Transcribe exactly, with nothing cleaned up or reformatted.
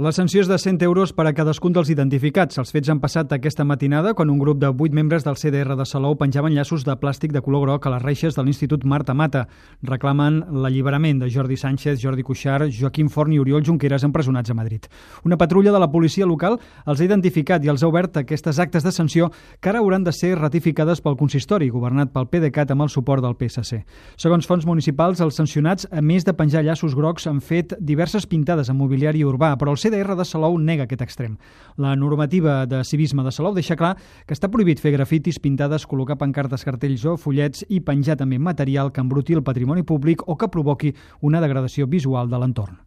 La sanció és de cent euros per a cadascun dels identificats. Els fets han passat aquesta matinada quan un grup de vuit membres del C D R de Salou penjaven llaços de plàstic de color groc a les reixes de l'Institut Marta Mata. Reclamen l'alliberament de Jordi Sánchez, Jordi Cuixart, Joaquim Forn i Oriol Junqueras empresonats a Madrid. Una patrulla de la policia local els ha identificat i els ha obert aquestes actes de sanció que ara hauran de ser ratificades pel consistori, governat pel PDeCAT amb el suport del P S C. Segons fonts municipals, els sancionats, a més de penjar llaços grocs, han fet diverses pintades en mobiliari urbà, però el C D R de Salou nega aquest extrem. La normativa de civisme de Salou deixa clar que està prohibit fer grafitis, pintades, col·locar pancartes, cartells o fullets i penjar també material que embruti el patrimoni públic o que provoqui una degradació visual de l'entorn.